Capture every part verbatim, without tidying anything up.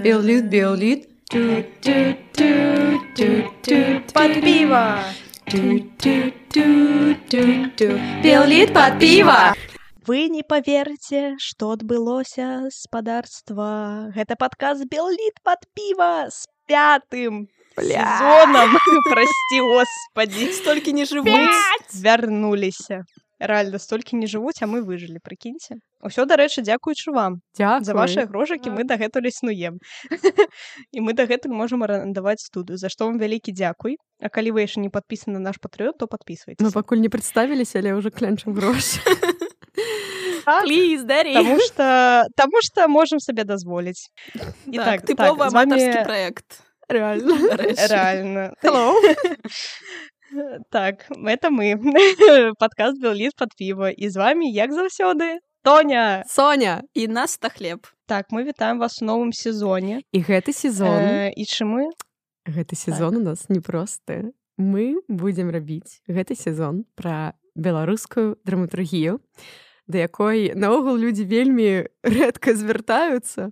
Беллит, беллит. Под пиво. Беллит под пиво. Вы не поверите, что адбылося спадарства. Гэта падкаст «Беллит под пиво» с пятым сезоном. Прости, господи. Столькі не жывуць. Мы вярнуліся. Реально, столькі не жывуць, а мы выжылі, прыкіньце. Усё, дарэчы, дзякуючы вам. Дзякуй. За вашыя грошыкі мы дагэтуль існуем. І мы дагэтуль можам арандаваць студыю, за што вам вялікі дзякуй. А калі вы яшчэ не падпісаны на наш патрыён, то падпісвайцеся. Мы пакуль не прадставіліся, але ўжо клянчым грошы. Please, daddy. Таму што, таму што можам сабе дазволіць. І Так, так, тыповы так, з вами- аматарскі праект. Реально. Реально. Hello. Так, это мы. Падкаст «Беллит под пиво». І з вами, як заўсёды, Тоня. Соня. І нас та хлеб. Так, мы вітаем вас у новым сезоне. І гэты сезон, Э, І чым мы? гэты сезон у нас непросты. Мы будзем рабіць гэты сезон пра беларускую драматургію, да якой наогул людзі вельмі рэдка звяртаюцца.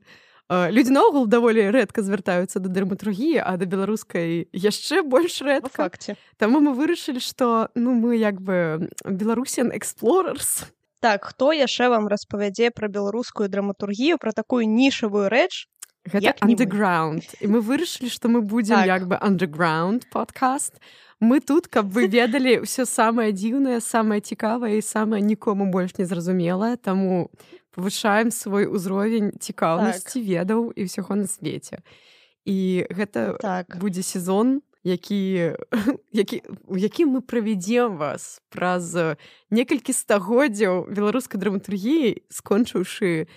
Людзі наогул даволі рэдка звяртаюцца да драматургіі, а да беларускай яшчэ больш Па рэдка. факце. Таму мы вырашылі, што ну мы як бы Беларусіан Explorers. Так, хто яшчэ вам распавядзе пра беларускую драматургію, пра такую нішавую рэч? Гэта Як не мы. underground. І мы вырашылі, што мы будзем Так. як бы underground падкаст. Мы тут, каб вы ведалі ўсё самае дзіўнае, самае цікавае і самае нікому больш не зразумелае, таму павышаем свой узровень цікаўнасці, Так. ведаў і ўсяго на свеце. І гэта Так. будзе сезон, які, які, у якім мы правядзем вас праз некалькі стагоддзяў беларускай драматургіі, скончыўшы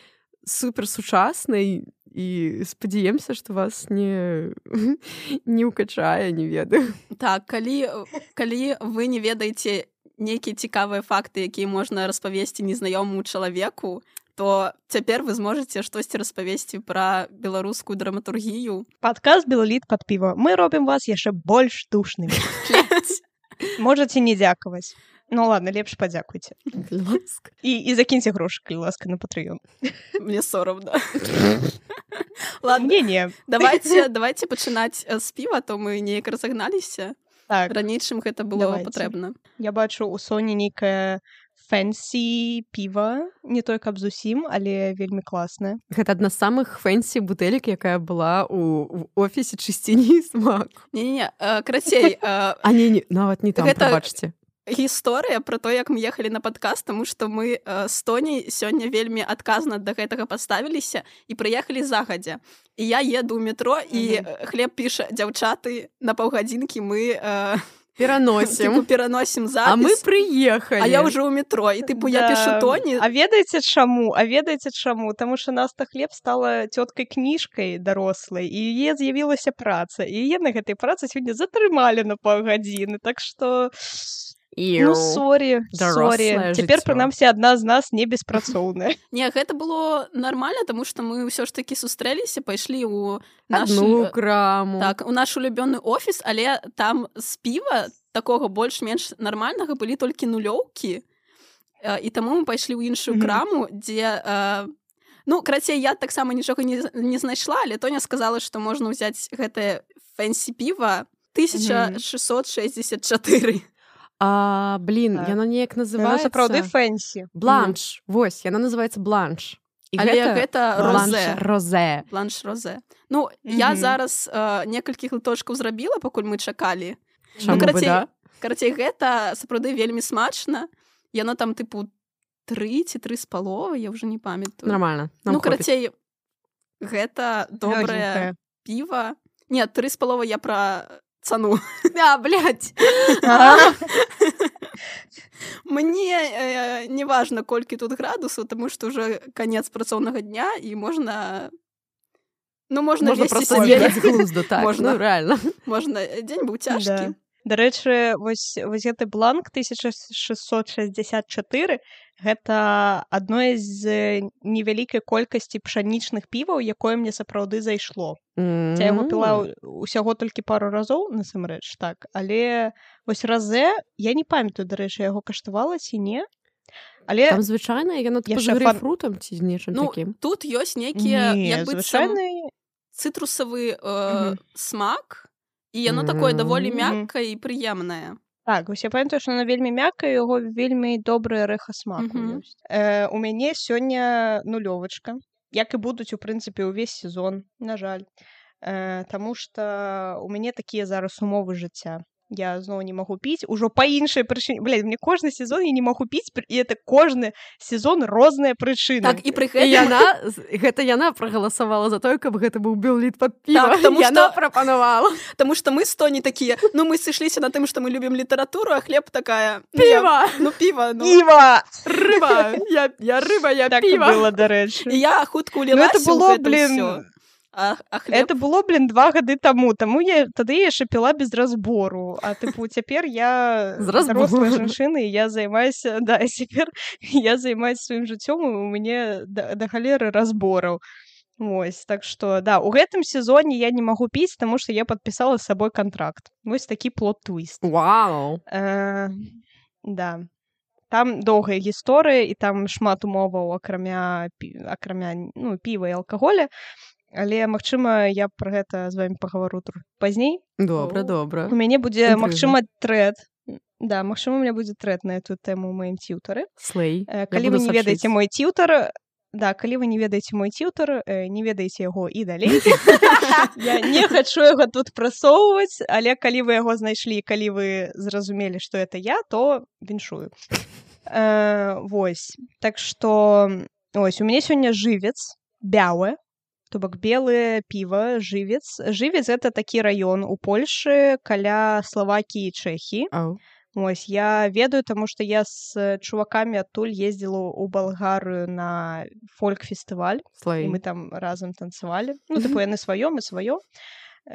суперсучаснай, і спадзяемся, што вас не, не ўкачае, не ведаю. Так, калі, калі вы не ведаеце нейкія цікавыя факты, якія можна распавесці незнаёмаму чалавеку, то цяпер вы зможаце штосьці распавесці пра беларускую драматургію. Падкаст «Беллит под пиво». Мы робім вас яшчэ больш душнымі. Можаце не дзякаваць. Ну ладно, лепш падзякуйце. Ласка. І, і закіньце грошы, калі ласка, на патрыён. Мне сорамна. Ладно, Не-не. давайте, давайте пачынаць з піва, то мы неяк разагналіся. Так, Раней, чым гэта было Давайте. патрэбна. я бачу, у Соні нейкае фэнсі піва, не той, каб зусім, але вельмі класнае. Гэта адна з самых фэнсі бутэлек, якая была ў, ў офісе чысціні і смак. Не-не-не, э, карацей, э, А не, не, нават не там, Гэта- прабачце. гісторыя пра то, як мы ехалі на падкаст, таму што мы э, з Тоняй сёння вельмі адказна да гэтага паставіліся і прыехалі загадзя. І я еду ў метро, і Мгм. э, хлеб піша: дзяўчаты, на паўгадзінкі мы э, Пераносім. тыпу, пераносім А мы запіс. прыехалі. А я ўжо ў метро, і тыпу я Да. пішу Тоні. А ведаеце чаму? А ведаеце чаму? Таму што Наста Хлеб стала цёткай кніжкай дарослай, і яе з'явілася праца. І яе на гэтай працы сёння затрымалі на паўгадзіны. Так што, ну, сорі, Дарослае сорі. Цяпер, жыццё. прынамсі, адна з нас не беспрацоўная. Не, гэта было нармальна, таму што мы ўсё ж такі сустрэліся, пайшлі ў наш Адну краму. так, у наш улюбёны офіс, але там з піва такога больш-менш нармальнага былі толькі нулёўкі. Э, І таму мы пайшлі ў іншую Мгм. краму, дзе э, ну, карацей, я таксама нічога не, з- не знайшла, але Тоня сказала, што можна ўзяць гэтае фэнсі піва тысяча шэсцьсот шэсцьдзесят чатыры. А, блін, Так. яно неяк Яно называецца... сапраўды фэнсі. Бланш. Вось, яна называецца бланш. І Але гэта бланш розе. розе. Бланш розе. Ну, я Мгм. зараз э, некалькі глыточкаў зрабіла, пакуль мы чакалі. Чаму бы, карацей, да? Карацей, гэта сапраўды вельмі смачна. Яно там, тыпу, тры ці тры з паловай, я ўжо не памятаю. Нормально. Нам Ну, хопіць. карацей, гэта добрае Лёгенькае. піва. Не, тры з паловай я пра цану. А, блядь. А, Мне э, не важна, колькі тут градусаў, таму што ўжо канец працоўнага дня, і можна... Ну, можна, Можна весці просто сябе. з'ехаць з глузду, так. Можна. Ну, реально. Можна. Дзень быў цяжкі. Да. Дарэчы, вось вось гэты бланк тысяча шестьсот шестьдесят четыре гэта адно з невялікай колькасці пшанічных піваў, якое мне сапраўды зайшло. Я яго піла ўсяго толькі пару разоў, насамрэч, так, але вось разэ, я не памятаю, дарэчы, яго каштавала ці не. Але там звычайна яно типа з грэйпфрутам ці з нечым ну, такім. Тут ёсць нейкія не, як быццам цытрусавы э, Мгм. смак, і яно такое даволі Мгм. мяккае і прыемнае. Так, вось я памятаю, што яно вельмі мяккае, яго вельмі добрае рэха смаку Мгм. ёсць. Э, у мяне сёння нулёвачка, як і будуць, у прынцыпе, увесь сезон, на жаль. Э, таму што у мяне такія зараз умовы жыцця. Я зноў не магу піць, ужо па іншай прычыне. Блядь, мне кожны сезон я не магу піць, і это кожны сезон розныя прычыны. Так, і пры І гэтым... яна, гэта яна прагаласавала за тое, каб гэта быў белліт пад піва. Так, таму яна што- прапанавала. Таму што мы з Тоні такія, ну мы сышліся на тым, што мы любім літаратуру, а хлеб такая... ну, я- Піва! Ну, піва, ну. Піва! Рыба! Я, я рыба, я Так і піва. было, дарэчы. І я хутка Ну, улілася это было, ў гэта блин, ўсё. А, а хлеб... Это было, блин, два гады таму. Таму я тады я яшчэ піла без разбору. А тыпу цяпер я З разбору. дарослая жанчына, і я займаюся, да, і цяпер я займаюся сваім жыццём, і у мяне да, да халеры разбораў. Вось, так што, да, у гэтым сезоне я не магу піць, таму што я падпісала з сабой кантракт. Вось такі плот-твіст. Вау! Э, да. Там доўгая гісторыя, і там шмат умоваў, акрамя, пі- акрамя ну, піва і алкаголя. Але, магчыма, я пра гэта з вамі пагавару трохі пазней. Добра, О. добра. У мяне будзе, Інтрыга. магчыма, трэд. Да, магчыма, у мяне будзе трэд на эту тэму ў маім тьютары. Слэй. Э, Я Калі буду вы не ведаеце сачыць. мой тьютар, да, калі вы не ведаеце мой тьютар, э, не ведаеце яго і далей. Я не хачу яго тут прасоўваць, але калі вы яго знайшлі, калі вы зразумелі, што это я, то віншую. Э, Вось. Так што, ось, у мяне сёння жывец, бялы, то бок белае піва, жывец. Жывец — гэта такі раён у Польшы каля Славакіі і Чэхіі. Ау. Ось, я ведаю, таму што я з чувакамі адтуль ездзіла ў Балгарыю на фольк-фестываль, і Слэй. мы там разам танцавалі. Ну, тыпу, яны сваё, мы сваё.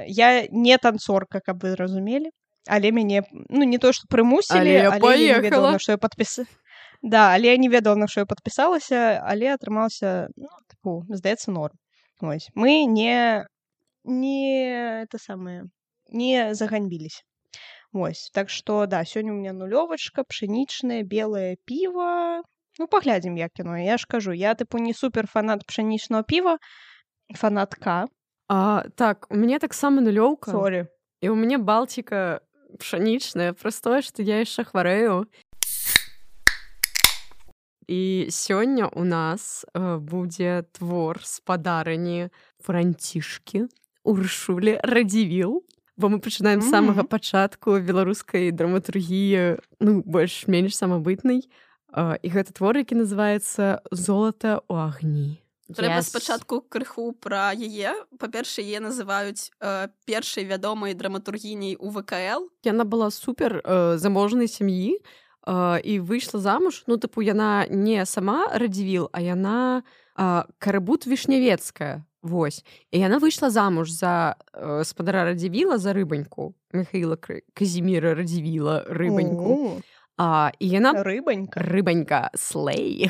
Я не танцорка, каб вы разумелі, але мяне, ну, не то, што Але прымусілі, я але я не паехала. ведала, на што я падпіс... Да, але я не ведала, на што я падпісалася, але атрымалася, ну, тыпу, здаецца, норм. Ось. Мы не, не, это самое, не заганьбились. Ось. Так што, да, сёння у меня нулёвачка, пшэнічнае, белае піва. Ну, паглядзім, як яно. Я ж кажу, я, тыпу, не супер фанат пшэнічнага піва, фанатка. А, так, у мяне таксама нулёўка. Сорі. І у мяне балтіка пшанічная, простое, што я яшчэ хварэю. І сёння у нас э, будзе твор спадарыні Францішкі Уршулі Радзівіл, бо мы пачынаем з самага Мгм. пачатку беларускай драматургіі, ну, больш-менш самабытнай. Э, І гэта твор, які называецца «Золата ў агні». Трэба Yes. спачатку крыху пра яе. Па-першае, яе называюць э, першай вядомай драматургіняй у вэ ка эл. Яна была супер э, заможнай сям'і э, і выйшла замуж. Ну, тыпу, яна не сама Радзівіл, а яна э, Карыбут Вішнявецкая. Вось. І яна выйшла замуж за э, спадара Радзівіла, за рыбаньку. Михаіла Кр- Казіміра Радзівіла, рыбаньку. О, А, і яна рыбанька. рыбанька слей.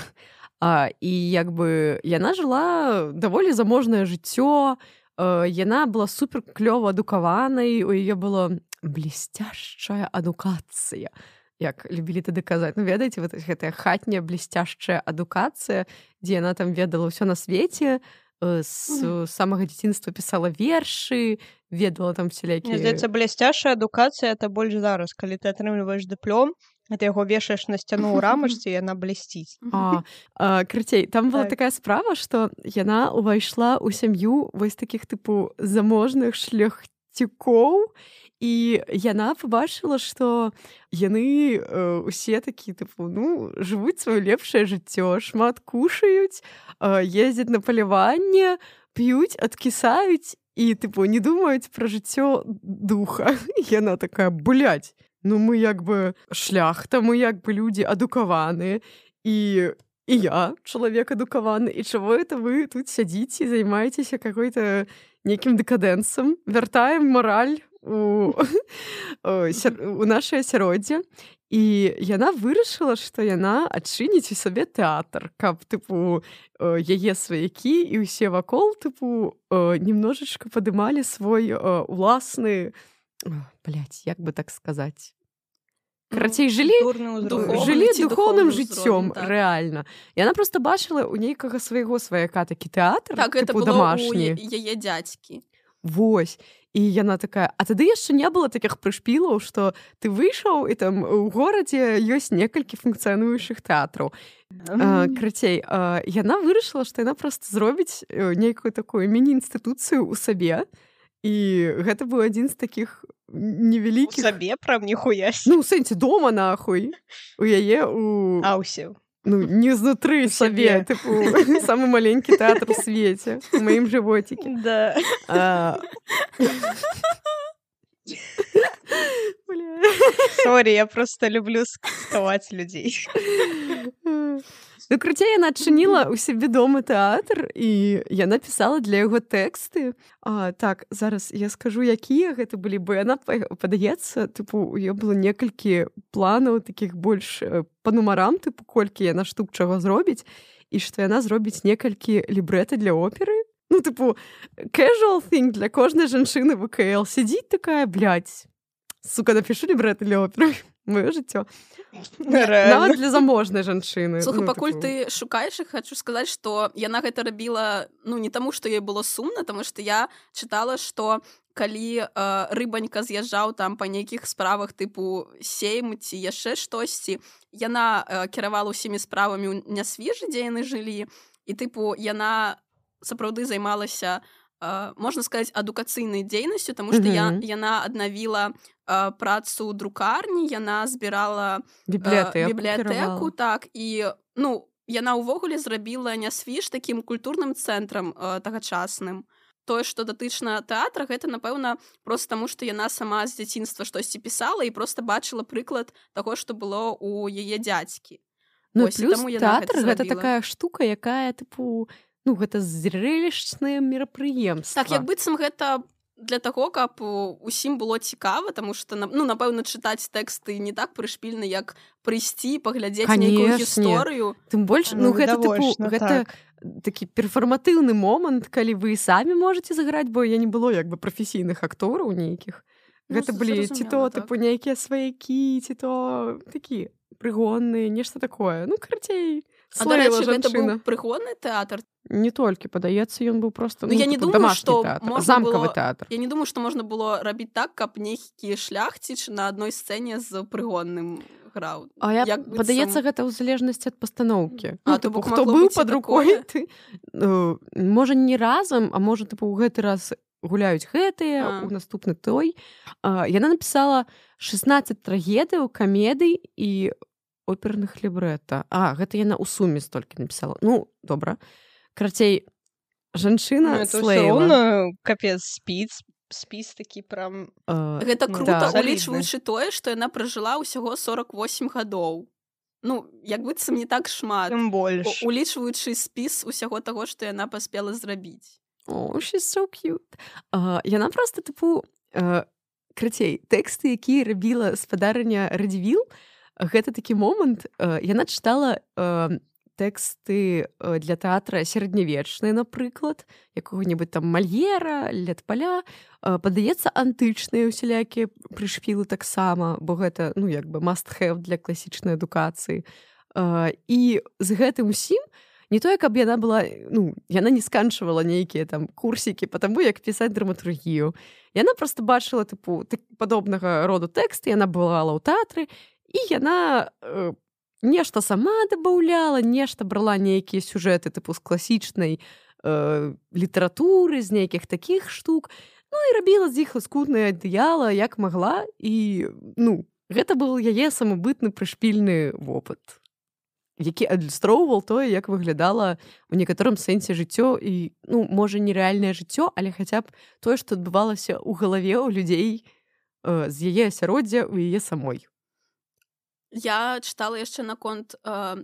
А, і як бы яна жыла даволі заможнае жыццё. Э, яна была супер клёва адукаванай, у яе была блестяшчая адукацыя. Як любілі тады казаць. Ну, ведаеце, вот гэтая хатняя блестяшчая адукацыя, дзе яна там ведала ўсё на свеце, э, з самага дзяцінства пісала вершы, ведала там Мне всялякія... здаецца, блясцяшая адукацыя — это больш зараз. Калі ты атрымліваеш дыплом, а ты яго вешаеш на сцяну ў рамачцы, і яна блісціць. А, а, Крыцей, там была Так. такая справа, што яна ўвайшла ў сям'ю вось такіх тыпу заможных шляхцюкоў, і яна пабачыла, што яны э, усе такі тыпу, ну, жывуць сваё лепшае жыццё, шмат кушаюць, э, ездзяць на паляванне, п'юць, адкісаюць і тыпу не думаюць пра жыццё духа. І яна такая, блядь, ну мы як бы шляхта, мы як бы людзі адукаваныя, і і я чалавек адукаваны, і чаго это вы тут сядзіце і займаецеся какой-то нейкім дэкадэнсам, вяртаем мараль у, у нашае асяроддзе, і яна вырашыла, што яна адчыніць у сабе тэатр, каб тыпу яе сваякі і ўсе вакол тыпу немножечко падымалі свой уласны, блядь, як бы так сказаць, карацей, жылі, жылі духоўным жыццём, так. Рэальна. Яна проста бачыла ў нейкага свайго сваяка такі тэатр, так, тыпу дамашні. Так, гэта было ў яе дзядзькі. Вось. І яна такая, а тады яшчэ не было такіх прышпілаў, што ты выйшаў, і там у горадзе ёсць некалькі функцыянуючых тэатраў. Mm. Крацей, яна вырашыла, што яна проста зробіць нейкую такую міні-інстытуцыю ў сабе, і гэта быў адзін з такіх невялікіх... У сабе, прям ніхуясь. Ну, у сэнсе, дома, нахуй. У яе, у... А, ўсе. Ну, не знутры сабе, тыпу, самы маленькі тэатр у свеце, у маім жывоцікі. Да. А... Сорі, я просто люблю скаваць людзей. Ну, крыцей, яна адчыніла ў сябе дома тэатр, і яна пісала для яго тэксты. А, так, зараз я скажу, якія гэта былі, бо яна, падаецца, тыпу, у яе было некалькі планаў такіх больш па нумарам, тыпу, колькі яна штук чаго зробіць, і што яна зробіць некалькі лібрэта для оперы. Ну, тыпу, casual thing для кожнай жанчыны вэ ка эл. Сядзіць такая, блядь, сука, напішу лібрэта для оперы. Моё жыццё. Нават для заможнай жанчыны. Слухай, ну, пакуль тыпу... ты шукаеш, хочу сказаць, што яна гэта рабіла, ну, не таму, што ёй было сумна, таму што я чытала, што калі э, рыбанька з'язджаў там па нейкіх справах тыпу сейм ці яшчэ штосьці, яна э, кіравала ўсімі справамі ў Нясвіжы, дзе яны жылі, і тыпу яна сапраўды займалася, э, можна сказаць, адукацыйнай дзейнасцю, таму што mm-hmm. я, яна аднавіла працу друкарні, яна збірала бібліятэку, бібліятэку так, і ну, яна ўвогуле зрабіла Нясвіж такім культурным цэнтрам э, тагачасным. Тое, што датычна тэатра, гэта, напэўна, проста таму, што яна сама з дзяцінства штосьці пісала і проста бачыла прыклад таго, што было ў яе дзядзькі. Ну, Ось, плюс тэатр гэта, гэта такая штука, якая, тыпу, ну, гэта зрэлішчнае мерапрыемства. Так, як быццам гэта для таго, каб усім было цікава, таму што, ну, напэўна, чытаць тэксты не так прышпільна, як прыйсці, паглядзець нейкую гісторыю. Тым больш, ну, ну гэта, тыпу, гэта так. Такі перфарматыўны момант, калі вы самі можаце заграць, бо я не было як бы прафесійных актораў нейкіх. Ну, гэта былі ці то, так. Тыпу, нейкія сваякі, ці то такі прыгонныя, нешта такое. Ну, карацей, слэйла жанчына. А, дарэчы, гэта быў прыгонны тэатр? Не толькі, падаецца, ён быў проста, ну, ну, я не тыпу, думаю, дамашні што тэатр, замкавы было... тэатр. Я не думаю, што можна было рабіць так, каб нейкі шляхціч на адной сцэне з прыгонным граў. А я, як падаецца, сам... гэта ў залежнасці ад пастаноўкі. А, ну, тыпу, хто быў пад рукой, ты, ну, можа, не разам, а можа, тыпу, ў гэты раз гуляюць гэтыя, у наступны той. А, яна напісала шэснаццаць трагедыяў, камедый і оперных лібрэта. А, гэта яна ў суме столькі напісала. Ну, добра. Карацей, жанчына ну, слэйла. Капец, спіц, спіс такі прям... Uh, гэта крута, да. Улічваючы тое, што яна пражыла ўсяго сорак восем гадоў. Ну, як быццам не так шмат. Тым больш. Улічваючы спіс усяго таго, што яна паспела зрабіць. О, oh, she's so cute. Uh, яна проста, тыпу, uh, крацей, тэксты, якія рабіла спадарыня Радзівіл, гэта такі момант, uh, яна чытала... Uh, тэксты для тэатра сярэднявечныя, напрыклад, якога-небудзь там Мальера, Летпаля, падаецца, антычныя усялякія прышпілы таксама, бо гэта, ну, як бы must-have для класічнай адукацыі. І з гэтым усім не тое, каб яна была, ну, яна не сканчвала нейкія там курсікі па таму, як пісаць драматургію. Яна проста бачыла, тыпу, падобнага роду тэксты, яна бывала ў тэатры, і яна нешта сама дабаўляла, нешта брала нейкія сюжэты тыпу з класічнай э, літаратуры, з нейкіх такіх штук, ну і рабіла з іх ласкутнае адыяла, як магла, і ну, гэта быў яе самабытны прышпільны вопыт, які адлюстроўваў тое, як выглядала ў некаторым сэнсе жыццё і, ну, можа, нерэальнае жыццё, але хаця б тое, што адбывалася ў галаве ў людзей э, з яе асяроддзя ў яе самой. Я чытала яшчэ наконт э,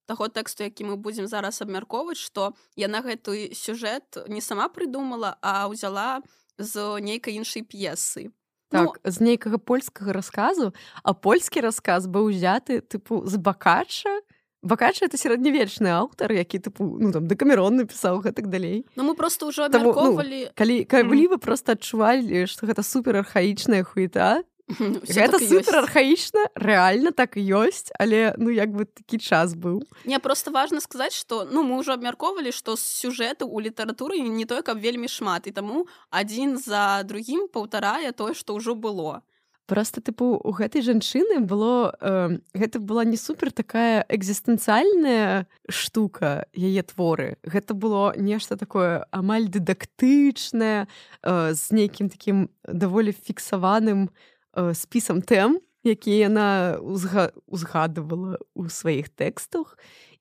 таго тэксту, які мы будзем зараз абмяркоўваць, што яна гэты сюжэт не сама прыдумала, а ўзяла з нейкай іншай п'есы. Так, ну... з нейкага польскага расказу, а польскі рассказ быў узяты тыпу з Бакачча. Бакачча — это сярэднявечны аўтар, які тыпу ну там Дэкамерон напісаў гэтак далей. Ну мы просто ўжо абмяркоўвалі. Ну, калі калі вы проста адчувалі, што гэта супер архаічная хуета, гэта супер архаічна, рэальна так і ёсць, але ну як бы такі час быў. Не, просто важна сказаць, што ну мы ўжо абмяркоўвалі, што сюжэту ў літаратуры не той, каб вельмі шмат, і таму адзін за другім паўтарае тое, што ўжо было. Просто тыпу у гэтай жанчыны было э, гэта была не супер такая экзістэнцыяльная штука яе творы. Гэта было нешта такое амаль дыдактычнае э, з нейкім такім даволі фіксаваным э, спісам тэм, які яна узга... узгадывала ў сваіх тэкстах.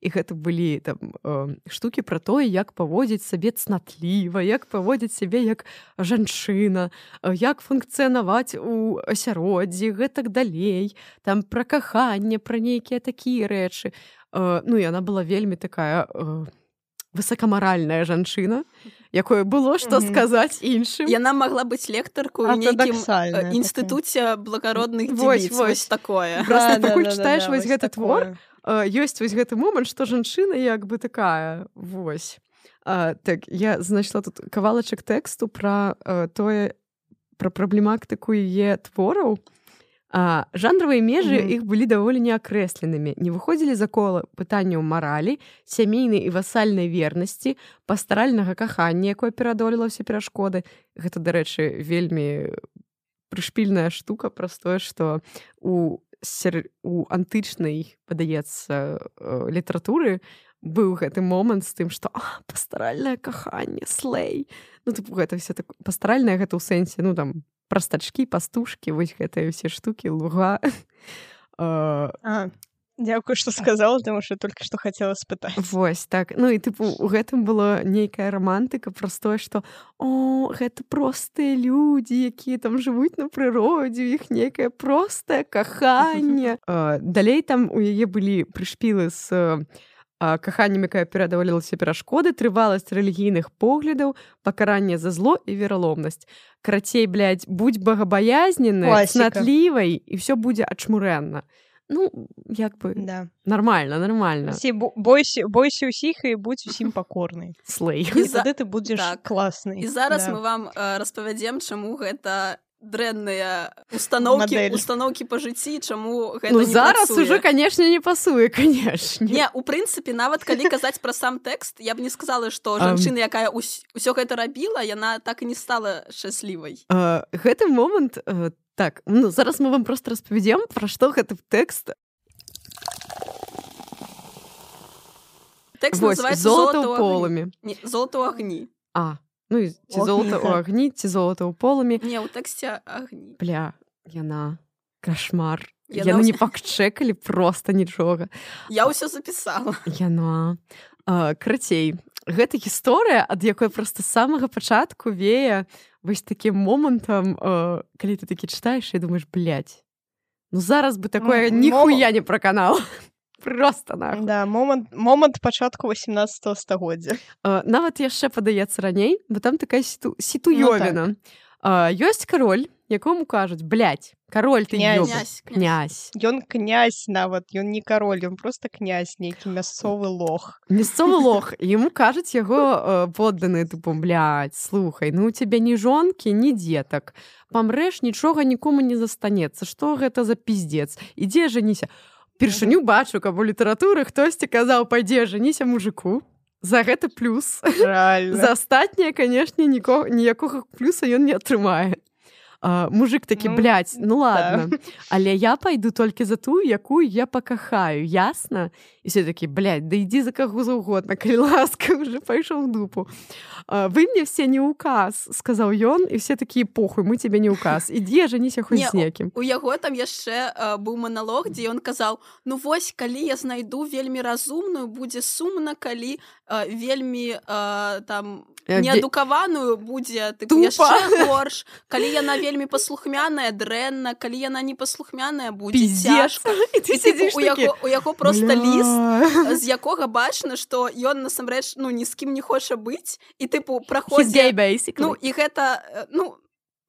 І гэта былі там э, штукі пра тое, як паводзіць сабе цнатліва, як паводзіць сябе як жанчына, э, як функцыянаваць у асяроддзі, гэтак далей, там пра каханне, пра нейкія такія рэчы. Э, ну, і яна была вельмі такая э, высокамаральная жанчына, якое было што mm-hmm. сказаць іншым. Яна магла быць лектаркаю ў нейкім інстытуце благародных дзівіц. Вось такое. Просто да, пакуль да, чытаеш да, вось гэты твор, ёсць вось гэты момант, што жанчына як бы такая, вось. А, так, я знайшла тут кавалачак тэксту пра а, тое, пра праблематыку яе твораў. А, жанравыя межы mm-hmm. іх былі даволі неакрэсленымі, не выходзілі за кола пытанняў маралі, сямейнай і васальнай вернасці, пастаральнага кахання, якое пераадолела ўсе перашкоды. Гэта, дарэчы, вельмі прышпільная штука, праз тое, што у у антычнай, падаецца, літаратуры быў гэты момант з тым, што пастаральнае каханне, слэй. Ну, тыпу, гэта все так... Пастаральнае гэта ў сэнсе, ну, там, прастачкі, пастушкі, вось гэтыя ўсе штукі, луга. А, дзякую, што сказала, таму што толькі што хацела спытаць. Вось, так. Ну, і, тыпу, у гэтым была нейкая рамантыка праз тое, што о, гэта простыя людзі, якія там жывуць на прыродзе, у іх нейкае простае каханне. Далей там у яе былі прышпілы з каханнем, якая пераадолелася перашкоды, трываласць рэлігійных поглядаў, пакаранне за зло і вераломнасць. Карацей, блядь, будь багабаязненнай, цнатлівай, і ўсё будзе ачмурэнна. Ну, як бы, да. Нормально, нормально. Всі, бойся, бойся усіх і будь усім пакорнай. Слэй. І за... тады ты будзеш так. класны. І зараз да. мы вам э, распавядзем, чаму гэта дрэнныя установкі, установкі па жыцці, чаму гэта ну, не зараз працуе. Уже, канешне, не пасуе, канешне. Не, у прынцыпе, нават калі казаць пра сам тэкст, я б не сказала, што жанчына, якая ўс... усё гэта рабіла, яна так і не стала шчаслівай. Uh, гэты момант... Uh... Так, ну, зараз мы вам просто распавядзем, пра што гэты тэкст. Тэкст называецца «Золата ў полымі». Не, «Золата ў агні». А, ну, ці «Золата ў агні», ці «Золата ў полымі». Не, у тэксце агні. Бля, яна кашмар. Яна не пакчэкалі проста нічога. Я ўсё запісала. Яна. А, крацей, гэта гісторыя, ад якой проста з самага пачатку вее вось такім момантам, э, калі ты такі чытаеш і думаеш, блядь, ну зараз бы такое ну, ніхуя не праканала. Просто нахуй. Да, момант, момант пачатку васемнаццатага стагоддзя. Э, нават яшчэ падаецца раней, бо там такая сіту, сітуёвіна. Ну, так. э, ёсць кароль, якому кажуць, блядь, кароль ты ёб. Князь. Князь. Ён князь нават, ён не кароль, ён просто князь, нейкі мясцовы лох. Мясцовы лох. Яму кажуць яго э, подданыя, тыпу, блядь, слухай, ну у цябе ні жонкі, ні дзетак. Памрэш, нічога нікому не застанецца. Што гэта за пиздец? Ідзе жаніся. Першыню бачу, каб у літаратуры хтосьці казаў, пайдзе жаніся мужику. За гэта плюс. Реально. За астатняе, канешне, ніякога плюса ён не атрымае. Uh, мужик такі, ну, блядь, ну ладно, да. Але я пайду толькі за тую, якую я пакахаю, ясна? І все такі, блядь, да ідзі за каго заўгодна, калі ласка, уже пайшоў в дупу. Uh, вы мне все не указ, сказаў ён, і все такія, похуй, мы тебе не указ. Ідзі, жаніся хоць з некім. У яго там яшчэ uh, быў маналог, дзе ён казаў, ну вось, калі я знайду вельмі разумную, будзе сумна, калі uh, вельмі uh, там... неадукаваную будзе тыпу, яшчэ горш. Калі яна вельмі паслухмяная, дрэнна, калі яна не паслухмяная, будзе цяжка. І тыпу, у, яго, у яго проста ліст, з якога бачна, што ён насамрэч ну, ні з кім не хоча быць, і тыпу праходзі... Ну, і гэта, ну,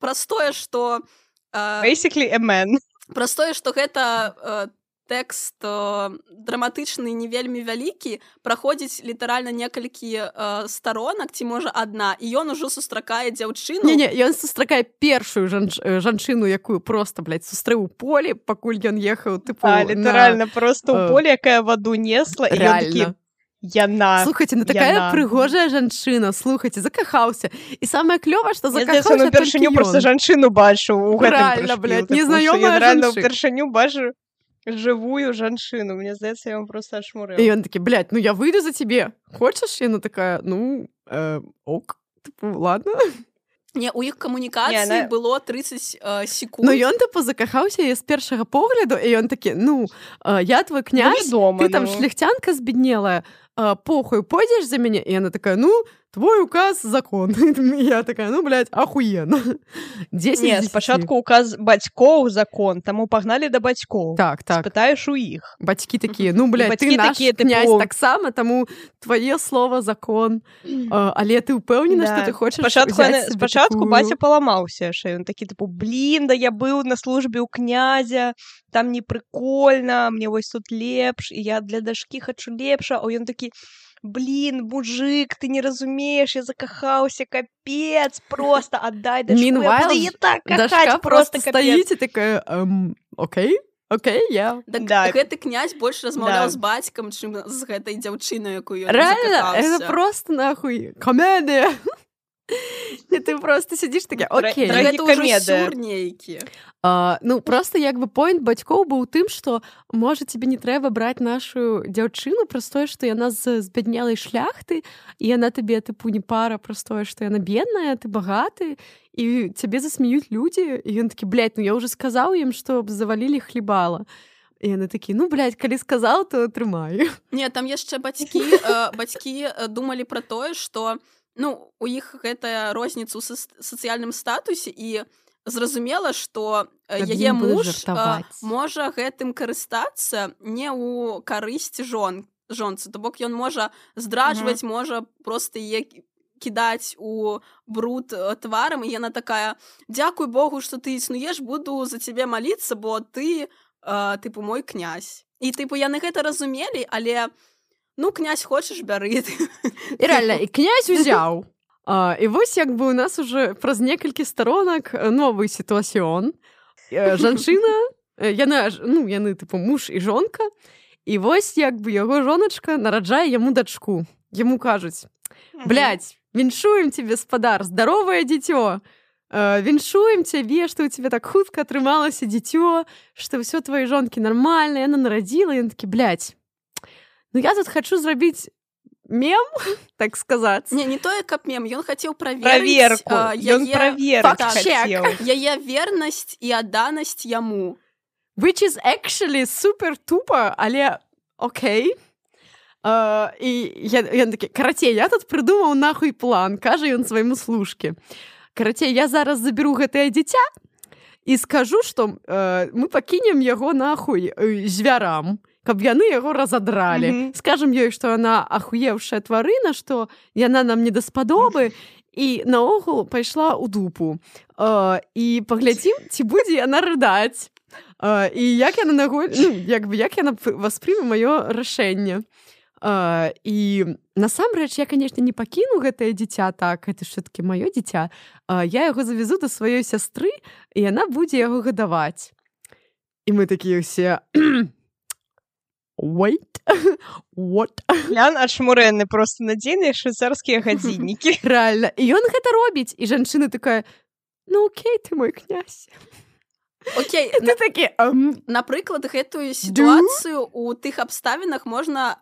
простое, што Basically a man. Праз тое, што гэта э, тэкст э, драматычны не вельмі вялікі, праходзіць літаральна некалькі э, старонак, ці можа адна, і ён ужо сустракае дзяўчыну. Не-не, ён сустракае першую жанч... жанчыну, якую просто, блядь, сустрэў у полі, пакуль ён ехаў, тыпу, А, літаральна, на... просто ў полі, якая ваду несла, і ён такі, яна, слухайте, ну такая яна. прыгожая жанчына, слухайте, закахаўся. І самае клёвае, што закахаўся толькі ён. Я ўпершыню проста жанчыну бачыў у гэтым Рэальна, блядь, жанчыну. незнаёмая Я рэальна жанчына. ўпершыню бачу живую жанчыну. Мне здаецца, я вам просто ашмурыла. І ён такі, блядь, ну я выйду за тебе. Хочаш? Яна такая, ну, э, ок, типу, ладно. Не, у іх камунікацыі Не, она... было тридцать э, секунд. Ну ён, типу, закахаўся і з першага погляду, і ён такі, ну, э, я твой князь, ну, дома, ты там ну. шляхтянка збеднелая, э, похуй, пойдзеш за мяне? І яна такая, ну, твой указ — закон. І я такая, ну, блядь, ахуенно. десять Не, спачатку указ бацькоў — закон, таму пагналі да бацькоў. Так, так. Спытаеш у іх. Бацькі такія, ну, блядь, ты наш такія, князь типу... таксама, таму твае слова — закон. Uh, але ты ўпэўнена, што да. ты хочаш спачатку, узяць яны... сабе спачатку такую... баця паламаўся, що ён такі, типу, блін, да я быў на службе ў князя, там не прикольна, мне вось тут лепш, і я для дашкі хачу лепша, а ён такі, блин, мужик, ты не разумеешь, я закахаўся, капец, просто отдай дашку, Meanwhile, я буду її так кахаць, дашка просто просто капец. стоїть і такая, ем, окей, окей, я. Так да. Гэты князь больш размаўляў да. з бацькам, чым з гэтай дзяўчынай, якую ён Реально, закахаўся. это просто нахуй комедия. І ти просто сидиш таке, окей. Так гэта ўжо сюр нейкі. Uh, ну, просто як бы поінт бацькоў быў тым, што можа тебе не трэба браць нашу дзяўчыну праз тое, што яна з збяднелай шляхты, і яна табе тыпу не пара праз тое, што яна бедная, ты багаты, і цябе засмеюць людзі, і ён такі, блядь, ну я ўжо сказаў ім, што завалілі хлебала. І яны такі, ну, блядь, калі сказаў, то трымаю. Не, там яшчэ бацькі, э, бацькі думалі пра тое, што ну, у іх гэтая розніца ў сацыяльным статусе, і зразумела, што яе муж а, можа гэтым карыстацца не ў карысць жон, жонцы. То бок ён можа здраджваць, mm-hmm. можа проста яе кідаць у бруд тварам, і яна такая, дзякуй Богу, што ты існуеш, буду за цябе маліцца, бо ты, а, тыпу, мой князь. І, тыпу, яны гэта разумелі, але ну, князь хочаш, бяры. І реально, і князь узяў. А, і вось як бы у нас уже праз некалькі сторонак новы сітуацыён. Жанчына, яна, ну, яны, типу, муж і жонка, і вось як бы яго жоначка нараджае яму дачку. Яму кажуць, блядь, віншуем тебе, спадар, здаровае дзіцё. Віншуем цябе, што ў цябе так хутка атрымалася дзіцё, што ўсё твае жонкі нармальна, яна нарадзіла, і ён такі, блядь, ну я тут хочу зрабіць мем, так сказаць. Не, не тое, каб мем, ён хацеў праверыць... Праверку, а, ён яе... праверыць хацеў. Яе вернасць і адданасць яму. Which is actually супер тупо, але окей. Uh, і я, ён такі, карацей, я тут прыдумаў нахуй план, кажа ён свайму служке. Карацей, я зараз заберу гэтае дзіця і скажу, што uh, мы пакінем яго нахуй uh, звярам, каб яны яго разадралі. Mm-hmm. Скажам ёй, што яна ахуеўшая тварына, што яна нам не даспадобы, і наогул пайшла ў дупу. Uh, і паглядзім, ці будзе яна рыдаць. Uh, і як яна нагуль... ну, як бы, як яна васпрыме маё рашэнне. Uh, і насамрэч, я, канешне, не пакіну гэтае дзіця так, гэта все-таки маё дзіця. Uh, я яго завезу да сваёй сястры, і яна будзе яго гадаваць. І мы такія ўсе... Wait, what? Лян адшмурэнны, просто надзейныя швейцарскія гадзіннікі. Реально. І ён гэта робіць. І жанчына такая, ну окей, ты мой князь. Окей. Ты такі... Um, Напрыклад, гэтую сітуацыю у тых абставінах можна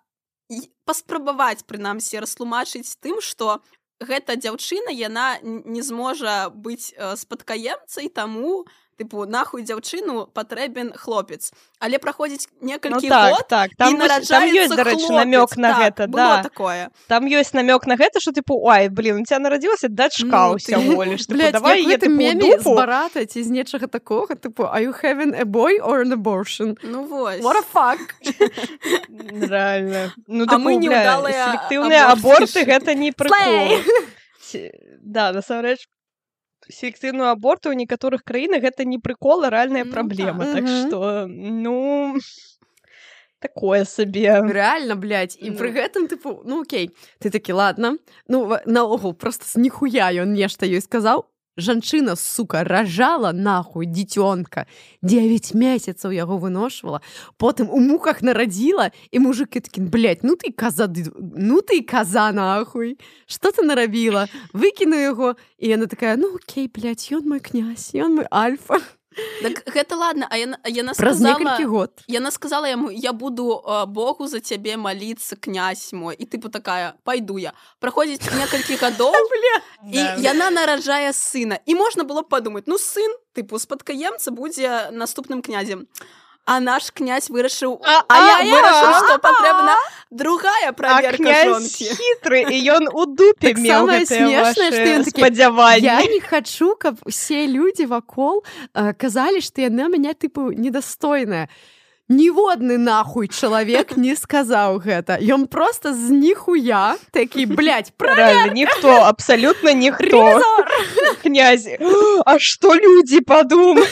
паспрабаваць, прынамсі, растлумачыць тым, што гэта дзяўчына, яна не зможа быць спадкаемцай, таму тыпу, нахуй дзяўчыну патрэбен хлопец. Але праходзіць некалькі ну, так, год, так. Там, і нараджаецца там ёсць, дарэчы, хлопец. намёк на так, гэта. Было да. такое. Там ёсць намёк на гэта, што, тыпу, ой, блин, у тебя нарадзілася дачка ну, ўсяго ліш. Блядь, давай як я, гэтым тыпу, меме дупу. з барата ці з нечага такога, тыпу, are you having a boy or an abortion? Ну, вось. What a fuck? Реально. Ну, а тыпу, мы неудалыя селектыўныя аборты, гэта не прикол. Slay! Да, насамрэч, селектыўную аборты ў некаторых краінах гэта не прыкол, а рэальная Ну праблема. так. Так Мгм. што, ну, такое сабе. Реально, блядь. І пры Ну. гэтым, тыпу, ну окей. Ты такі, ладно. Ну, ва- наогул, просто з ніхуя ён нешта ёй сказаў. Жанчына, сука, ражала нахуй дзіцёнка. девять месяцаў яго выношвала. Потым у муках нарадзіла, і мужыкі такі, блядь, ну ты коза, ды- ну ты коза нахуй. Што ты нарабіла? Выкіну яго. І яна такая, ну окей, блядь, ён мой князь, ён мой альфа. Так гэта ладно, а яна, яна Праз некалькі сказала... год. Яна сказала яму, я буду э, Богу за цябе маліцца, князь мой. І тыпу такая, пайду я. Праходзіць некалькі гадоў, і Да. яна нараджае сына. І можна было б падумаць, ну сын, тыпу, спадкаемца будзе наступным князем. А наш князь вырашыў, А, а, а, я вырашыў, а, што патрэбна другая А праверка князь жонкі. хітры, і ён у дупе Так меў самае гэтыя смешнае, што ён вашы такі, спадзяванні. Я не хачу, каб усе людзі вакол э, казалі, што яна мяне тыпу недастойная. Ніводны нахуй чалавек не сказаў гэта. Ён просто з ніхуя такі, блядь, Реально, ніхто, абсалютна ніхто. Ревізор! Князь, а што людзі падумаюць?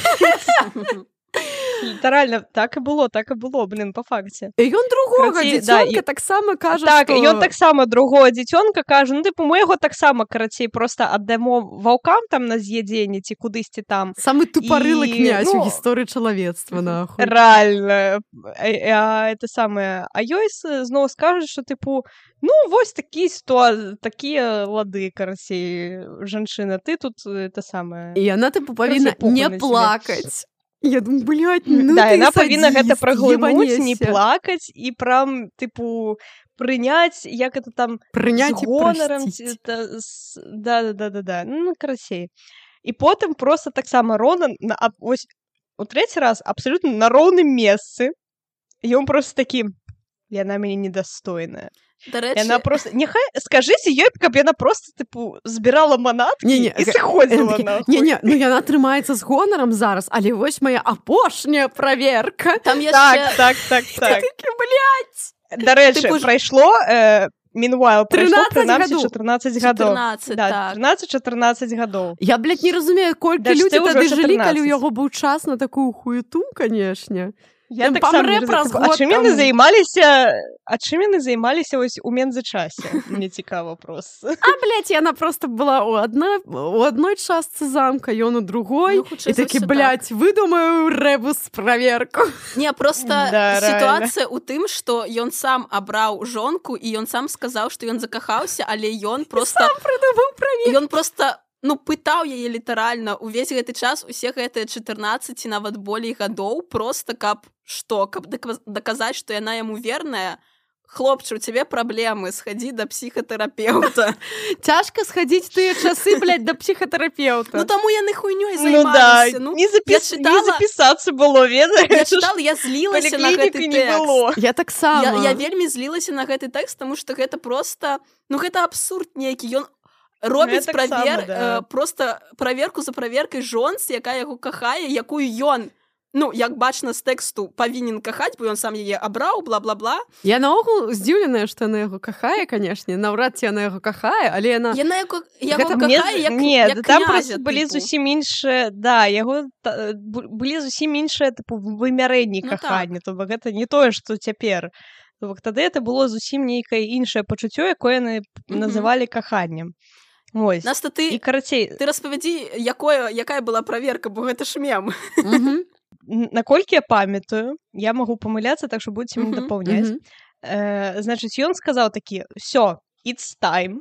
Літаральна, так і было, так і было, блин, па факце. І ён другога Карацей, да, дзіцёнка і- таксама кажа, Так, што... і ён таксама другого дзіцёнка кажа, ну, тыпу, мы яго таксама, карацей, проста аддамо ваўкам там на з'ядзенне ці кудысьці там. Самы тупарылы І, князь у ну, гісторыі чалавецтва, нахуй. Реально. А, а, это самае. А ёй с- зноў скажуць, што, тыпу, ну, вось такі ситуа... такія лады, карацей, жанчына, ты тут это самае. І яна тыпу павінна похуй не на цябе. плакаць. Я думаю, блядь, ну Да, ты яна павінна гэта садзіст, праглынуць, не ебанешся. плакаць і прям, тыпу, прыняць, як это там, Прыняць з і гонарам, прасціць. ці это з- да-да-да-да-да, ну, карацей. І потым просто таксама Ронан, на, а, ось, у трэці раз абсалютна на роўным месцы, і ён просто такі, яна мяне недастойная. Дарэчы, Яна просто, няхай, скажыце ёй, каб яна просто, тыпу, збірала манаткі Не-не, і гэ- сыходзіла, Такі, нахуй. Не-не, ну яна трымаецца з гонарам зараз, але вось моя апошняя праверка. там яшчэ... Так, так, так, так. Такі, блядь. Дарэчы, Тыпу ж- прайшло, э, meanwhile, прайшло трынаццаць прынамсі гадоў. чатырнаццаць гадоў. чатырнаццаць, Да, так. трынаццаць-чатырнаццаць гадоў. Я, блядь, не разумею, колькі Да ж людзі ты ўжо тады жылі, калі чатырнаццаць. ў яго быў час на такую хуету, канешне. Я Ён так сам памрэ не праз разумею. А год чым яны там. займаліся, а чым яны займаліся ось у мензачасе? Мне цікава просто. А, блядь, яна просто была у адной, у адной частцы замка, ён у другой. Ну, хутчэй І за такі, ўсё, блядь, выдумаю рэбус праверку. Не, просто Да, сітуацыя ў тым, што ён сам абраў жонку, і ён сам сказаў, што ён закахаўся, але ён просто... Прыдумаў праверку. Ён просто ну пытаў яе літаральна увесь гэты час усе гэтыя чатырнаццаць ці нават болей гадоў просто каб што каб дак- даказаць што яна яму верная. Хлопчы, у цябе праблемы, схадзі да псіхатэрапеўта. Цяжка схадзіць тыя часы, блядь, да псіхатэрапеўта. Ну таму яны хуйнёй Ну да, займаліся. Ну, не, запіс... я читала- не запісацца было, ведаеш? я чытала, я злілася на гэты Паліклінікі не тэкст. было. Я таксама. Я, я вельмі злілася на гэты тэкст, таму што гэта просто ну гэта абсурд нейкі. Ён робіць Ну, я таксама, правер, да. э, просто праверку за праверкай жонцы, якая яго кахае, якую ён ну як бачна з тэксту павінен кахаць, бо ён сам яе абраў, бла-бла-бла. Я наогул здзіўленая, што яна яго кахае, канешне, наўрад ці яна яго кахае, але яна Яна яго, яго Гэта Мне кахае, з- як, не, як да там князя, просто былі тыпу. зусім іншыя, да, яго та- бу- былі зусім іншыя тыпу вымярэнні Ну, кахання, то бок гэта не тое, што цяпер. То бок тады это было зусім нейкае іншае пачуццё, якое яны Мгм. называлі каханнем. Вось. Наста І ты карацей, ты распавядзі, якое якая была праверка, бо гэта ж мем. Мгм, н- наколькі я памятаю, я магу памыляцца, так што будзеце мяне Мгм, дапаўняць. мгм. Э, значыць, ён сказаў такі: «Всё, it's time.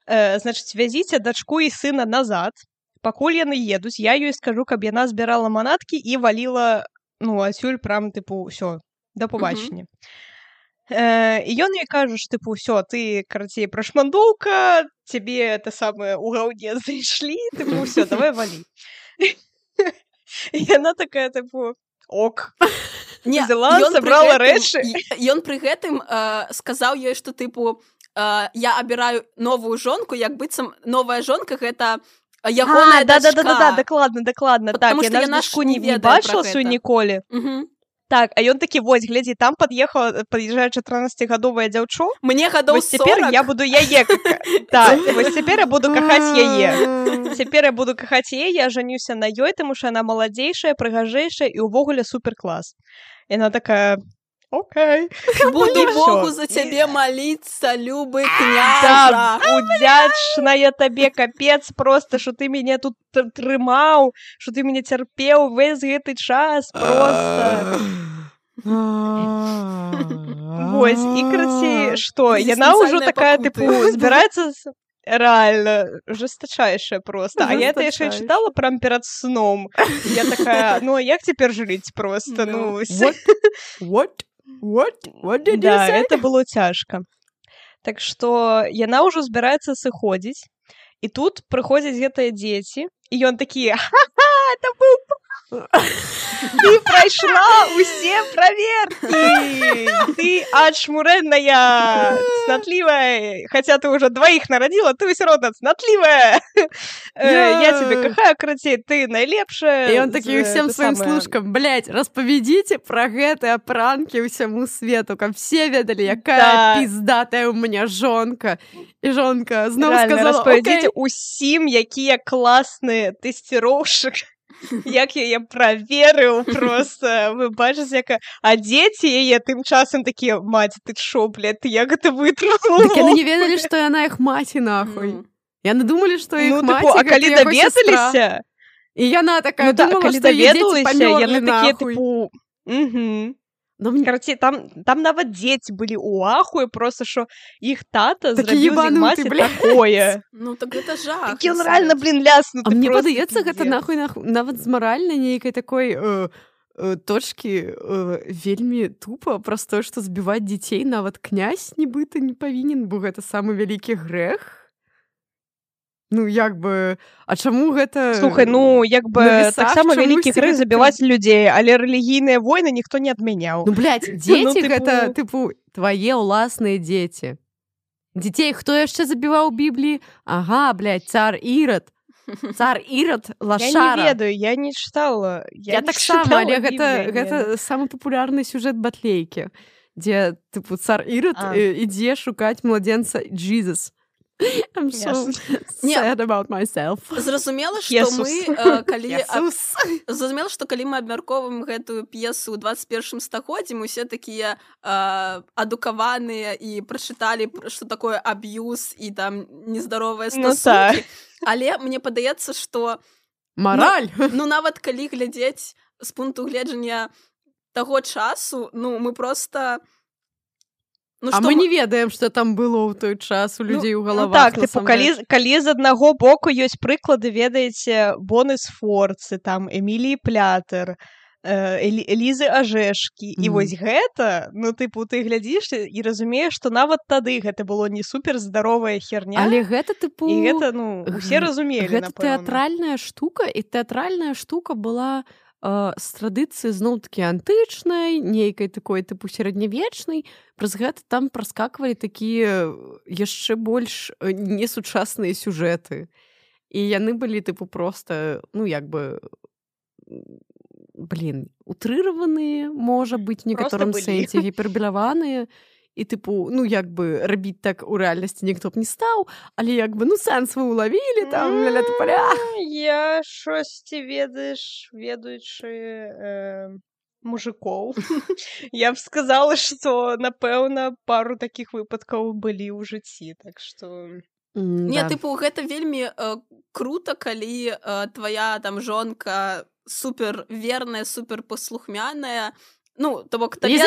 Э, значыць, вязіце дачку і сына назад. Пакуль яны едуць, я ёй скажу, каб яна збірала манаткі і валіла, ну, адсюль прям, тыпу, ўсё, да побачення». Э, і ён ёй кажа, што, тыпу, ўсё, ты, карацей, прашмандоўка, цябе это самае ў гаўне зайшлі, тыпу, ўсё, давай валі. І яна такая, тыпу, ок. Не, Взяла, ён пры сабрала гэтым- рэчы. і- Ён пры гэтым э, сказаў ёй, што тыпу э, я абіраю новую жонку, як быццам новая жонка гэта ягоная А, да, да, да, да, да, дачка. дакладна, дакладна. Так, Потому што яна ж яна ж дачку не не, не ведае пра бачыла сваю гэта. ніколі. Мгм. Так, а ён такі, вось, глядзі, там пад'ехала, пад'язджае чатырнаццацігадовая дзяўчо. Мне гадоў Вось цяпер сорок. я буду яе... Так, вось цяпер я буду кахаць яе. Цяпер я буду кахаць яе, я жанюся на ёй, таму што яна маладзейшая, прыгажэйшая і ўвогуле суперклас. Яна такая... Окей. Буду І Богу всё. за цябе маліцца, любы Так, княжа. удзячная табе, капец, просто, што ты мяне тут т- трымаў, што ты мяне цярпеў увесь гэты час, просто. Вось, і, карацей, што, яна ўжо Экзістэнцыяльныя такая, пакуты. тыпу, збіраецца... з- Реально, жесточайшая просто. А я это еще Жесточайшая. читала прям перед сном. Я такая, ну а як теперь жить просто? Ну, What? What? What? What did you да, say? это было цяжка. Так што яна ўжо збіраецца сыходзіць, і тут прыходзяць гэтыя дзеці, і ён такі, ха-ха, это быў ты прайшла усе праверкі, ты ачмурэнная, цнатлівая, хаця ты ўжо дваіх нарадзіла, ты ўсё роўна цнатлівая. Э, Я цябе кахаю, карацей, ты найлепшая. И он такі з- всем это своим самае. служкам, блядь, расповедите про гэтыя пранки ўсяму свету, каб все ведали, якая Да. пиздатая у меня жонка. И жонка зноў Реально, сказала, распавядзіце окей. усім, якія класныя тэсціроўшчык, як яе праверыў просто. Вы бачыце, яка... А дзеці яе тым часам такія, маці, ты шо, блядь, ты як гэта вытрымала? Так яны не ведалі, што яна іх маці, нахуй. Ну. Яны думалі, што іх Ну, маці, типу, а гэта калі яго сестра. даведаліся, І яна такая ну да, думала, калі што яе дзеці даведаліся, памёрлі, яны такія, нахуй. типу, угу. Ну, мне- Карацей, там, там нават дзеці былі ў ахуе, просто што іх тата Такі зрабіў з іх ебануты, маці бля. такое. Ну так это жах. Такі ён рэальна, блін, ляснуты. А мне просто падаецца, гэта пиздец. нахуй, нахуй нават з маральнай нейкай такой э, э, точкі э, вельмі тупа праз тое, што збіваць дзяцей нават князь нібыта не павінен, бо гэта самы вялікі грэх. Ну, як бы, а чаму гэта... Слухай, ну, як бы, на весах таксама чамусьці вялікі грэх гэта забіваць людзей, але рэлігійныя войны ніхто не адмяняў. Ну, блядь, дзеці Ну, тыпу- гэта, тыпу, твае ўласныя дзеці. Дзяцей хто яшчэ забіваў у Бібліі? Ага, блядь, цар Ірад. Цар Ірад, Я не лашара. ведаю, я не чытала. Я, Я не таксама, чытала але гэта, Біблію, гэта самы папулярны сюжэт батлейкі, дзе, тыпу, цар Ірад А. э, ідзе шукаць младзенца Jesus. I'm so Не. sad about myself. Зразумела, што Jesús. мы, э, калі аб- Jesús. зразумела, што калі мы абмяркоўваем гэтую п'есу ў двадцать першым стагоддзі, мы усе такія э, адукаваныя і прачыталі, пр- што такое аб'юз і там нездаровыя Ну стасункі. Але мне падаецца, што Мараль. ну нават калі глядзець з пункту гледжання таго часу, ну мы просто ну, А што мы м- не ведаем, што там было ў той час у людзей у Ну галавах. так, типу, насамрэч. калі, калі з аднаго боку ёсць прыклады, ведаеце, Боны Сфорцы, там, Эміліі Плятер, э, Элі- Элізы Ажэшкі, і Мгм. вось гэта, ну, тыпу, ты глядзіш і разумееш, што нават тады гэта было не супер здаровая херня, Але гэта, тыпу, і гэта, ну, усе г- разумелі, гэта напэўна. тэатральная штука, і тэатральная штука была э, з традыцыі зноў-такі антычнай, нейкай такой тыпу сярэднявечнай. Праз гэта там праскаквалі такія яшчэ больш э, несучасныя сюжэты. І яны былі тыпу проста, ну як бы м, блін, утрыраваныя, можа быць, у некаторым былі. сэнсе гіпербеляваныя. І тыпу, ну як бы рабіць так у рэальнасці ніхто б не стаў, але як бы ну сэнс вы ўлавілі там ля-ля тупаля. М, Я шосьці ведаеш, ведаючы э, мужикоў. Я б сказала, што, напэўна, пару такіх выпадкаў былі ў жыцці, так што... Не, тыпу, гэта вельмі э, круто, калі э, твая там жонка супер верная, супер паслухмяная. Ну, то бок табе,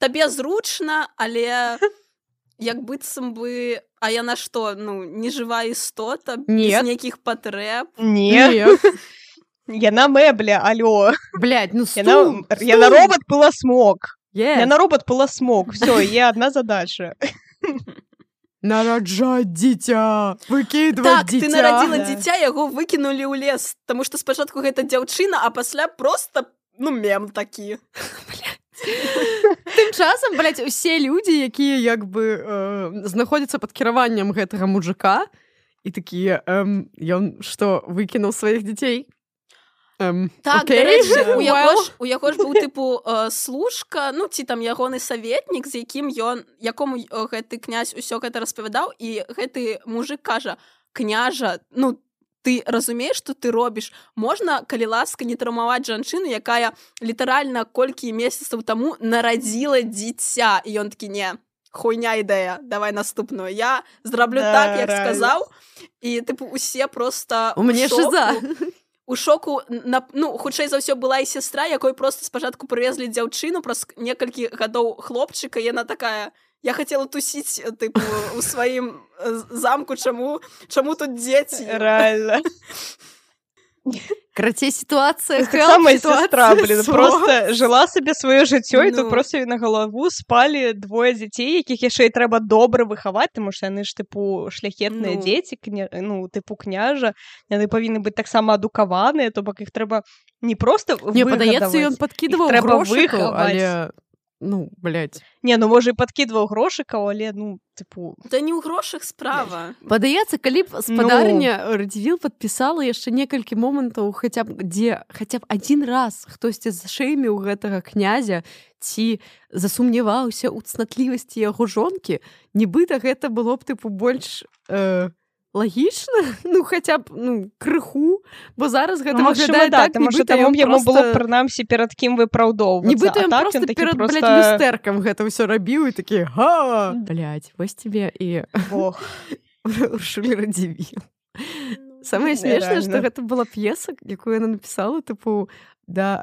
табе зручна, але як быццам бы, а яна што, ну, нежывая істота, без Нет. нейкіх патрэб. Не, яна мэбля, алё. Блядь, ну Яна, стул, яна робот пыласмок. Yes. Яна робот пыласмок. Всё, є одна задача. Нараджаць дзіця, выкідваць Так, дзіця. ты нарадзіла Да. дзіця, яго выкінулі ў лес, таму што спачатку гэта дзяўчына, а пасля проста, ну, мем такі. Тым часам, блядь, усе людзі, якія як бы э, знаходзяцца пад кіраваннем гэтага мужика, і такія, эм, ён што, выкінуў сваіх дзяцей? Um, так, okay. дарэчы, у яго well. ж у яго ж быў тыпу э, служка, ну ці там ягоны саветнік, з якім ён якому э, гэты князь усё гэта распавядаў, і гэты мужик кажа: княжа, ну ты разумееш, што ты робіш? Можна, калі ласка, не траўмаваць жанчыну, якая літаральна колькі месяцаў таму нарадзіла дзіця. І ён такі: не, хуйня ідэя, давай наступную. Я зраблю Да, так, як реально. сказаў. І тыпу усе просто У мяне шыза. у шоку, на, ну, хутчэй за ўсё была і сястра, якой просто спачатку прывезлі дзяўчыну, праз некалькі гадоў хлопчыка, і яна такая: я хацела тусіць, тыпу, у сваім замку, чаму, чаму тут дзеці? Реально. Карацей, сітуацыя Так само сестра, блин, просто жила собі своє життя, і Ну. тут просто на голову спали двоє дітей, яких ще й треба добре виховати, тому що вони ж, типу, шляхетні Ну. діти, кня... ну, типу, княжа, вони повинні бути так само адуковані, тобто їх треба не просто Не, падаецца, ён вигадувати. падкідваў Іх трэба грошыку, выхаваць. але... Ну, блядь. Не, ну, може, і подкидував грошиків, але, ну, типу... Да не ў грошах справа. Падаецца, калі б спадарня ну... Радзівіл падпісала яшчэ некалькі момантаў, хаця б дзе хаця б адзін раз хтосьці зашэйміў гэтага князя ці засумняваўся ў цнатлівасці яго жонкі, нібыта гэта было б, тыпу, больш э, лагічна, ну, хаця б, ну, крыху, бо зараз гэта Ну, выглядае да, так, тому що нібыта там ён йому просто... було, принаймні, перед ким виправдовуватися. Нібыта а ён так просто він таки перед, просто... блядь, люстэркам гэта ўсё рабіў і такі: га! Блядь, вось тебе і... Ох. Уршулі Радзівіл. Самае смешнае, што гэта была п'еса, якую яна напісала, тыпу, да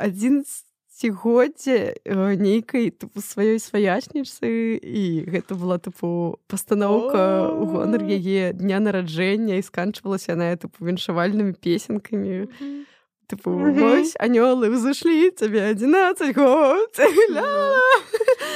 адзінаццацігоддзя нейкай, тыпу, сваёй сваячніцы, і гэта была, тыпу, пастаноўка ў гонар яе дня нараджэння, і сканчвалася яна, тыпу, віншавальнымі песенкамі. Тыпу, вось, анёлы ўзышлі, цябе адзінаццаць год.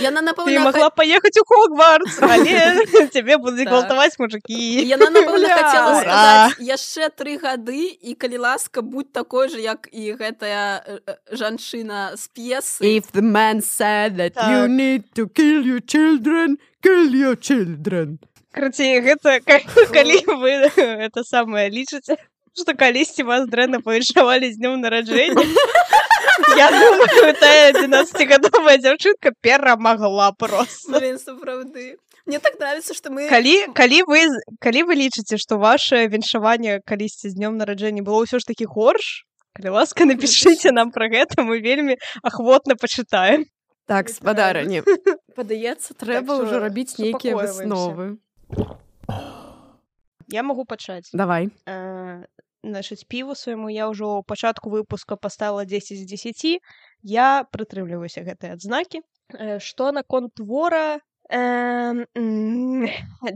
Яна, Ты напэўна, могла поехать у Хогвартс, але тебе будут Так. гвалтаваць мужики. Яна, напэўна, Бля. хацела Ура! сказаць яшчэ тры гады, і калі ласка, будь такой же, як і гэтая э, э, жанчына з п'есы. If the man said that Так. you need to kill your children, kill your children. Короче, гэта ка- калі вы это самае лічыце, што калісьці вас дрэнна павіншавалі з днём нараджэння, я думаю, тая адзінаццацігадовая дзяўчынка перамагла просто. Блин, сапраўды. Мне так нравится, что мы... Калі, калі, вы, калі вы лічыце, што ваше віншаванне калісьці з днём нараджэння было ўсё ж такі горш, калі ласка, напішыце нам пра гэта, мы вельмі ахвотна пачытаем. Так, спадарыні, Падаецца, трэба Так ўжо што рабіць нейкія супакойваемся. высновы. Я магу пачаць. Давай. Э, Значыць, піву свайму я ўжо ў пачатку выпуска паставіла дзесяць з дзесяці. Я прытрымліваюся гэтай адзнакі. Э, Што наконт твора, э, м,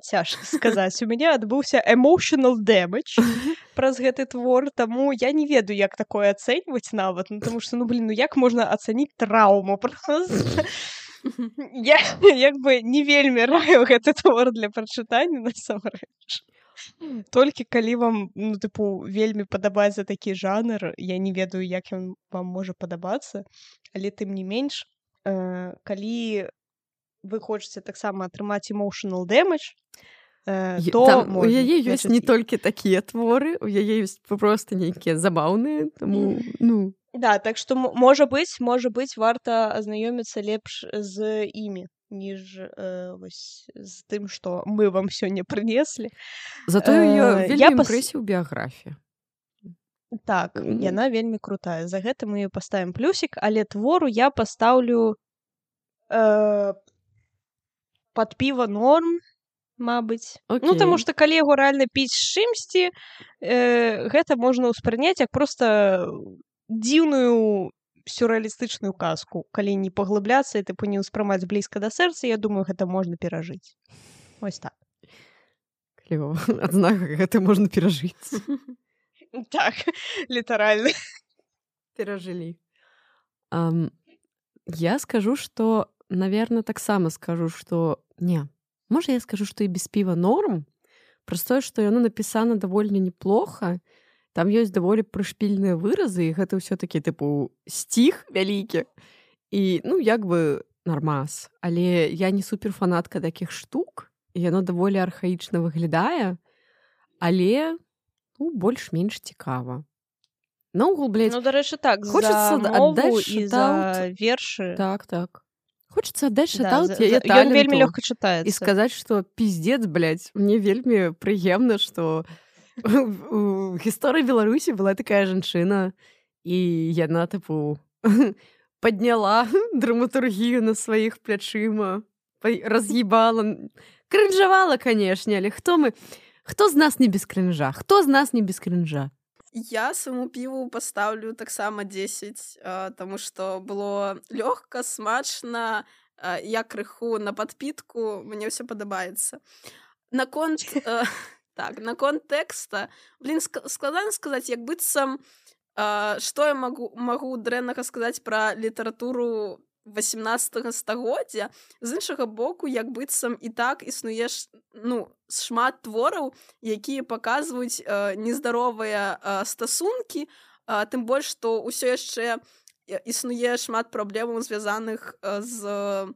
цяжка сказаць. У мяне адбыўся emotional damage праз гэты твор, таму я не ведаю, як такое ацэньваць нават, ну, таму што, ну, блин, ну як можна ацаніць траўму просто? Я як бы не вельмі раю гэты твор для прачытання насамрэч. Толькі калі вам, ну, тыпу, вельмі падабаецца такі жанр, я не ведаю, як ён вам можа падабацца, але тым не менш, э, калі вы хочаце таксама атрымаць emotional damage, э, Е- то там, у можна, яе ёсць не значыць, толькі такія творы, у яе ёсць проста нейкія забаўныя, таму, ну, Да, так што м- можа быць, можа быць, варта азнаёміцца лепш з імі, ніж э, вось з тым, што мы вам сёння прынеслі. зато Э, яе я вельмі пас- імпрэсіў біяграфія. Так, Мгм. яна вельмі крутая. За гэта мы ёй паставім плюсік, але твору я пастаўлю э, пад піва норм, мабыць. Ну, таму Окей. што калі яго рэальна піць з чымсьці, э, гэта можна ўспрыняць як проста дзіўную сюррэалістычную казку. Калі не паглыбляцца і тыпу не ўспрымаць блізка да сэрца, я думаю, гэта можна перажыць. Вось так. Клёва. Адзнака гэта можна перажыць. Так, літаральна. Перажылі. Ам, я скажу, што, наверно, таксама скажу, што не. Можа, я скажу, што і без піва норм, праз тое, што яно напісана даволі неплоха, там ёсць даволі прышпільныя выразы, і гэта ўсё-такі, тыпу, сціх вялікі. І, ну, як бы нармаз. Але я не суперфанатка такіх штук, і яно даволі архаічна выглядае, але, ну, больш-менш цікава. Наогул, блядь, Ну, дарэчы, так, хочется за отдать мову і за шатаут. вершы. Так, так. Хочется отдать Да, шатаут за- яе за- ён вельмі таленту лёгка и чытаецца. сказать, что пиздец, блядь, мне вельмі прыемна, что у гісторыі Беларусі была такая жанчына, і яна, тыпу, подняла драматургію на сваіх плячыма, па- раз'ебала, крынжавала, канешне, але хто мы, хто з нас не без крынжа, хто з нас не без крынжа? Я свайму піву пастаўлю таксама дзесяць, а, таму што было лёгка, смачна, а, я крыху на падпітку, мне ўсё падабаецца. Наконт э, так, наконт тэкста, блін, ск- складана сказаць, як быццам, а, што я магу магу дрэннага сказаць пра літаратуру восемнадцатага стагоддзя. З іншага боку, як быццам і так існуе ш- ну, шмат твораў, якія паказваюць э, нездаровыя э, стасункі, э, тым больш, што ўсё яшчэ э, існуе шмат праблемаў, звязаных э, з э,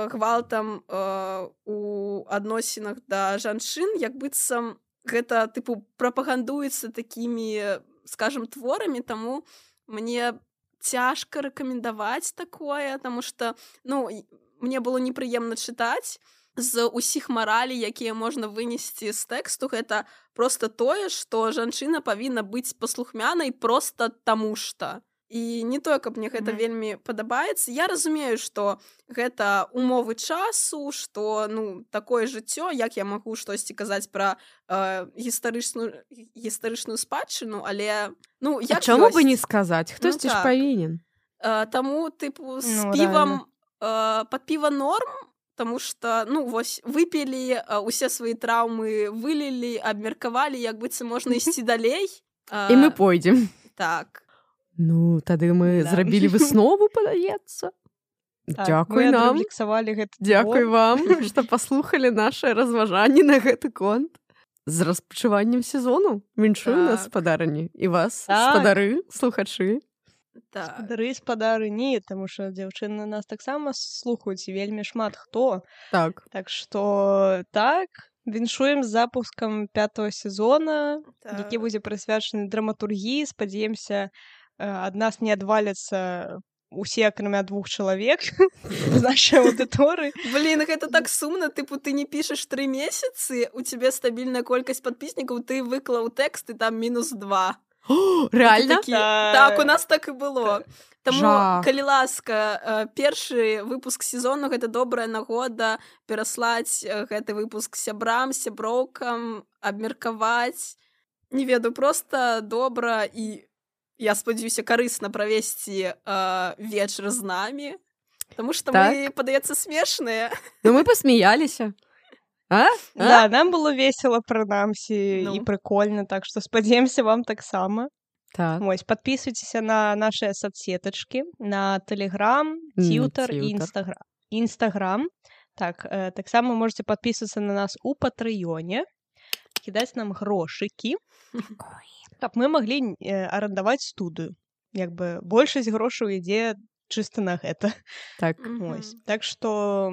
гвалтам э, у адносінах да жанчын, як быццам гэта тыпу прапагандуецца такімі, скажем, творамі, таму мне цяжка рэкамендаваць такое, таму што, ну, і- мне было непрыемна чытаць. З усіх маралей, якія можна вынесці з тэксту, гэта проста тое, што жанчына павінна быць паслухмянай проста таму што. І не тое, каб мне гэта Мгм. вельмі падабаецца. Я разумею, што гэта умовы часу, што, ну, такое жыццё, як я магу штосьці казаць пра э, гістарычную гістарычную спадчыну, але, ну, А як чаму бы не ёсць. сказаць? Хтосьці ж так. павінен. Э, Таму, тыпу, з Ну, півам э, пад піва норм, таму што, ну, вось, выпілі, э, усе свае траўмы вылілі, абмеркавалі, як быццам можна ісці далей. І мы Э, пойдзем. Так. Ну, тады мы Да. зрабілі выснову, падаецца. Так, Дзякуй мы нам. адрэфлексавалі гэты Дзякуй твор. вам, што паслухалі нашы разважанні на гэты конт. З распачываннем сезону. Віншую нас, Так. спадарыні. І вас, Так. спадары, слухачы. Так. Спадары, спадары, не, таму што дзяўчыны нас таксама слухаюць і вельмі шмат хто. Так. Так што так, віншуем з запускам пятого сезона, які Так. будзе прысвячаны драматургіі. Спадзяемся, э, ад нас не адваляцца усе, акрамя двух чалавек з нашай аўдыторыі. Блін, гэта так сумна, тыпу, ты не пішаш тры месяцы, у цябе стабільная колькасць падпіснікаў, ты выклаў тэкст, і там мінус два. О, І ты рэальна? такі, Так. так, у нас так і было. Таму, Жах. калі ласка, э, першы выпуск сезону — гэта добрая нагода пераслаць э, гэты выпуск сябрам, сяброўкам, абмеркаваць. Не ведаю, проста добра і, я спадзяюся, карысна правесці э, вечар з намі, таму што Так. мы, падаецца, смешныя. Ну, мы пасмяяліся. А? А? Да, нам было весела, прынамсі, Ну. і прыкольна, так што спадзяемся, вам таксама. Так. Вось, подписывайтеся на наши соцсеточки, на Телеграм, М, Тьютер и Тьютер. Инстаграм. Инстаграм. Так, э, так само можете подписываться на нас у Патреоне, кидать нам грошики, каб мы могли э, арендовать студию. Як бы большасць грошаў ідзе чыста на гэта. Так. Вось. Так што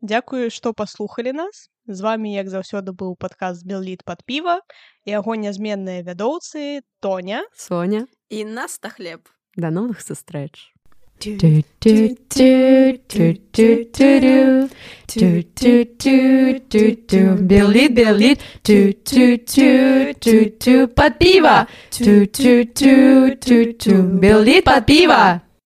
дзякую, што паслухалі нас. З вами, як заўсёды, быў падкаст «Белліт пад піва» і яго нязменныя вядоўцы Тоня, Соня, І Наста Хлеб. да новых сустрэч. Белит, белит, под пиво. Белит под пиво.